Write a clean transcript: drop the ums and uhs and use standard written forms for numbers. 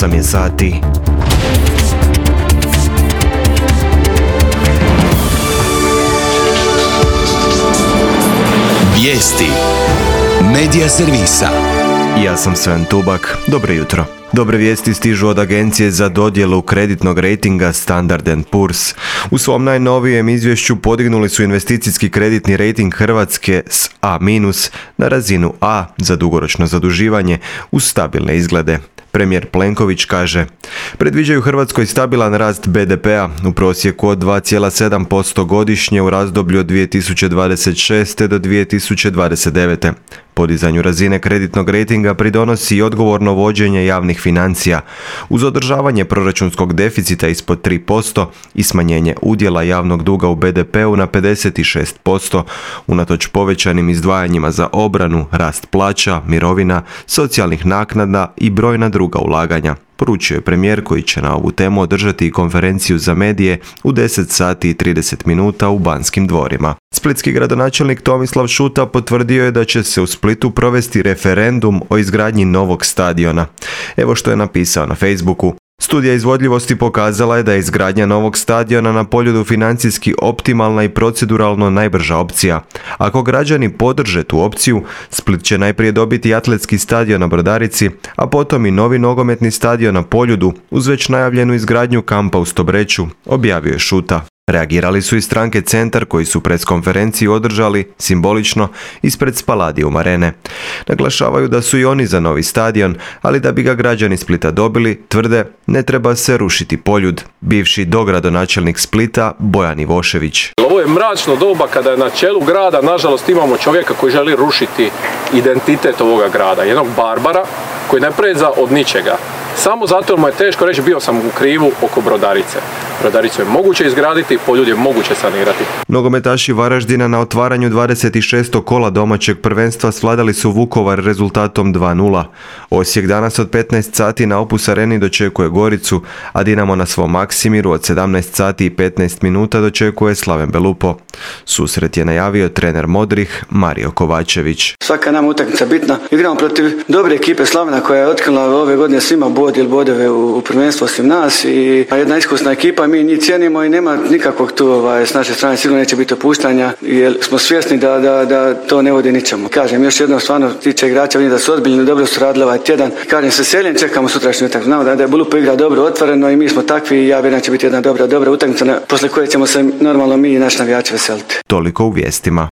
8 je sati. Vijesti Medija servisa. Ja sam Sven Tubak. Dobro jutro. Dobre vijesti stižu od Agencije za dodjelu kreditnog rejtinga Standard & Poor's. U svom najnovijem izvješću podignuli su investicijski kreditni rejting Hrvatske s A- na razinu A za dugoročno zaduživanje uz stabilne izglede. Premijer Plenković kaže: predviđaju Hrvatskoj stabilan rast BDP-a u prosjeku od 2,7% godišnje u razdoblju od 2026. do 2029. Podizanju razine kreditnog rejtinga pridonosi i odgovorno vođenje javnih financija uz održavanje proračunskog deficita ispod 3% i smanjenje udjela javnog duga u BDP-u na 56%, unatoč povećanim izdvajanjima za obranu, rast plaća, mirovina, socijalnih naknada i brojna druga ulaganja. Poručio je premijer koji će na ovu temu održati i konferenciju za medije u 10 sati i 30 minuta u Banskim dvorima. Splitski gradonačelnik Tomislav Šuta potvrdio je da će se u Splitu provesti referendum o izgradnji novog stadiona. Evo što je napisao na Facebooku. Studija izvodljivosti pokazala je da je izgradnja novog stadiona na Poljudu financijski optimalna i proceduralno najbrža opcija. Ako građani podrže tu opciju, Split će najprije dobiti atletski stadion na Brodarici, a potom i novi nogometni stadion na Poljudu uz već najavljenu izgradnju kampa u Stobreću, objavio je Šuta. Reagirali su i stranke Centar koji su preskonferenciju održali, simbolično, ispred Spaladium arene. Naglašavaju da su i oni za novi stadion, ali da bi ga građani Splita dobili, tvrde, ne treba se rušiti Poljud. Bivši dogradonačelnik Splita, Bojan Ivošević. Ovo je mračno doba kada je na čelu grada, nažalost, imamo čovjeka koji želi rušiti identitet ovoga grada. Jednog barbara koji ne preza od ničega. Samo zato mu je teško reći bio sam u krivu oko Brodarice. Brodaricu je moguće izgraditi, Poljud je moguće sanirati. Nogometaši Varaždina na otvaranju 26. kola domaćeg prvenstva svladali su Vukovar rezultatom 2:0. Osijek danas od 15 sati na Opus Areni dočekuje Goricu, a Dinamo na svom Maksimiru od 17 sati i 15 minuta dočekuje Slaven Belupo. Susret je najavio trener Modrih Mario Kovačević. Svaka nam utakmica bitna. Igramo protiv dobre ekipe Slavena koja je otkrila ove godine svima bod ili bodove u prvenstvu osim nas i jedna iskusna ekipa. Mi njih cijenimo i nema nikakvog tu s naše strane sigurno neće biti opuštanja jer smo svjesni da to ne vodi ničemu. Kažem još jednom, stvarno tiče igrača, vidim da su ozbiljni, dobro su radili ovaj tjedan. Kažem se seljen, čekamo sutrašnju utakmicu. Znamo da je Belupo igra dobro otvoreno i mi smo takvi i ja vjerujem da će biti jedna dobra utakmica posle koje ćemo se normalno mi i naši navijači veseliti. Toliko u vijestima.